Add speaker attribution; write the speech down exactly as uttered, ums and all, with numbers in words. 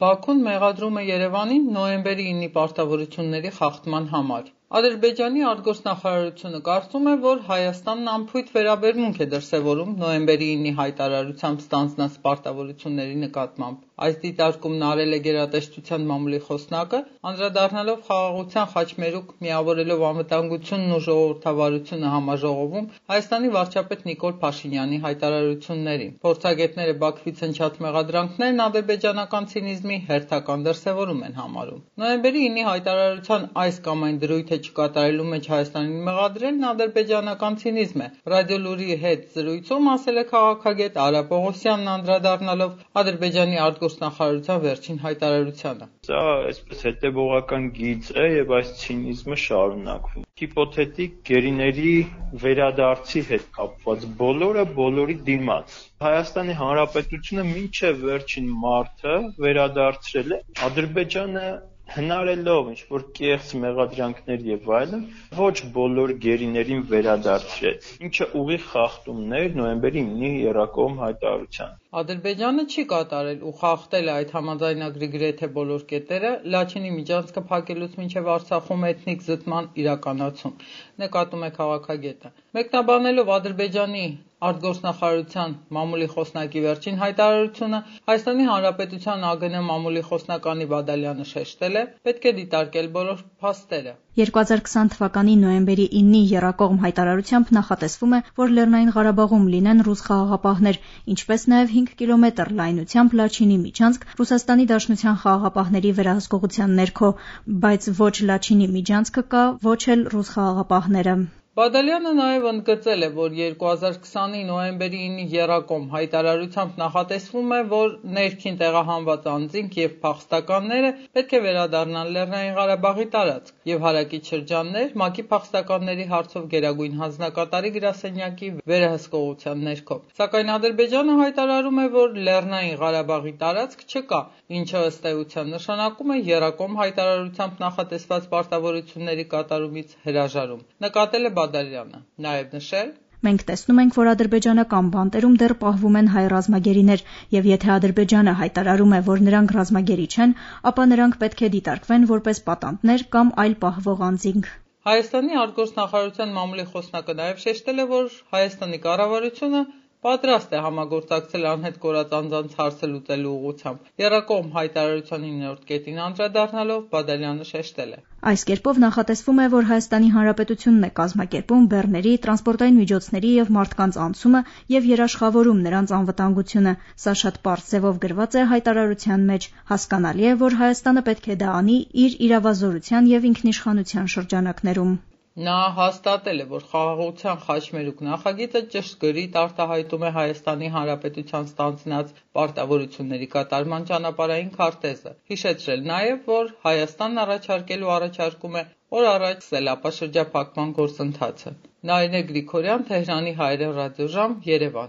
Speaker 1: Բաքուն մեղադրում է Երևանին նոյեմբերի ինի պարտավորությունների խախտման համար։ Ադրբեջանի արտգործնախարարությունը կարծում է, որ Հայաստանն անփույթ վերաբերմունք է դրսևորում նոյեմբերի ինի հայտարարությամբ ստանձնած պարտավորությունների նկատմամբ։ Այս դիտարկումն արել է գերատեսչության մամուլի խոսնակը, անդրադառնալով խաղաղության խաչմերուկ միավորելով անվտանգությունն ու ժողովրդավարությունը համաժողովում Հայաստանի վարչապետ Նիկոլ Փաշինյանի հայտարարություններին։ Փորձագետները Բաքվից հնչած մեղադրանքներն ադրբեջանական ցինիզմի հերթական դրսևորում են համարում։ Նոյեմբերի ինի հայտարարության այս կամ այն դրույթը չկատարելու մեջ Հայաստանին մեղադրելն ադրբեջանական ցինիզմ է։ Ռադիոլուրի հետ զրույցում ասել է քաղաքագետ Արա Պողոսյանն անդրադառնալով Ադրբեջանի արտգործնախարարության վերջին հայտարարությանը։
Speaker 2: Սա այսպես հետևողական գիծ է եւ այս ցինիզմը շարունակվում։ Հիպոթետիկ գերիների վերադարձի հետ կապված բոլորը բոլորի դիմաց։ Հայաստանի Հանրապետությունը մինչև վերջին մարտը վերադարձրել է Ադրբեջանը հնարելով ինչ-որ կեղծ մեղադրանքներ եւ այլն, ոչ բոլոր գերիներին վերադարձրեց, ինչը ուղիղ խախտումն էր նոյեմբերի ինի եռակողմ հայտարարության։
Speaker 1: Ադրբեջանը չի կատարել ու խախտել այդ համաձայնագրի գրեթե բոլոր կետերը, Լաչինի միջանցքը փակելուց մինչև Արցախում էթնիկ զտման իրականացում, նկատում է քաղաքագետը։ Մեկնաբանելով Ադրբեջանի արտգործնախարարության մամուլի խոսնակի վերջին հայտարարությունը, Հայաստանի Հանրապետության ԱԳՆ մամուլի խոսնակ Անի Բադալյանը շեշտել է, պետք է դիտարկել բոլոր փաստերը։
Speaker 3: երկու հազար քսան թվականի նոյեմբերի ինի եռակողմ հայտարարությամբ նախատեսվում է, որ Լեռնային Ղարաբաղում լինեն ռուս խաղաղապահներ, ինչպես նաև հինգ կիլոմետր լայնությամբ Լաչինի միջանցք Ռուսաստանի Դաշնության խաղաղապահների վերահսկողության ներքո, բայց ոչ Լաչինի միջանցքը կա, ոչ էլ ռուս խաղաղապահները։
Speaker 1: Բադալյանը նաև ընդգծել է, որ երկու հազար քսանի նոյեմբերի ինի եռակողմ հայտարարությամբ նախատեսվում է, որ ներքին տեղահանված անձինք եւ փախստականները պետք է վերադառնան Լեռնային Ղարաբաղի տարածք եւ հարակից շրջաններ ՄԱԿ-ի փախստականների հարցով Գերագույն հանձնակատարի գրասենյակի վերահսկողության ներքո։ Սակայն Ադրբեջանը հայտարարում է, որ Լեռնային Ղարաբաղի տարածք չկա, ինչը ըստ էության նշանակում է եռակողմ հայտարարությամբ նախատեսված պարտավորությունների կատարումից հրաժարում։ Նկատել է Բադալյանը, նաև նշել.
Speaker 3: Մենք տեսնում ենք, որ ադրբեջանական բանտերում դեռ պահվում են հայ ռազմագերիներ, եւ եթե Ադրբեջանը հայտարարում է, որ նրանք ռազմագերի չեն, ապա նրանք պետք է դիտարկվեն որպես պատանդներ կամ այլ պահվող անձինք։
Speaker 1: Հայաստանի արտգործնախարարության մամուլի խոսնակը նաև շեշտել է, որ Հայաստանի կառավարությունը պատրաստ է համագործակցել անհետ կորած անձանց հարցը լուծելու ուղղությամբ։ Եռակողմ հայտարարության իններորդ կետին անդրադառնալով Բադալյանը շեշտել է.
Speaker 3: Այս կերպով նախատեսվում է, որ Հայաստանի Հանրապետությունն է կազմակերպում բեռների, տրանսպորտային միջոցների եւ մարդկանց անցումը եւ երաշխավորում նրանց անվտանգությունը։ Սա շատ պարզ ձևով գրված է հայտարարության մեջ։ Հասկանալի է, որ Հայաստանը պետք է դա անի իր իրավազորության եւ ինքնիշխանության շրջանակներում։
Speaker 1: Նա հաստատել է, որ խաղաղության խաչմերուկ նախագիծը ճշգրիտ արտահայտում է Հայաստանի Հանրապետության ստանձնած պարտավորությունների կատարման ճանապարհային քարտեզը։ Հիշեցրել նաև, որ Հայաստանն առաջարկելու առաջարկում է օր առաջ սելապաշրջափակման գործընթացը։ Նարինե Գրիգորյան, Թեհրանի հայերեն ռադիոժամ, Երևան։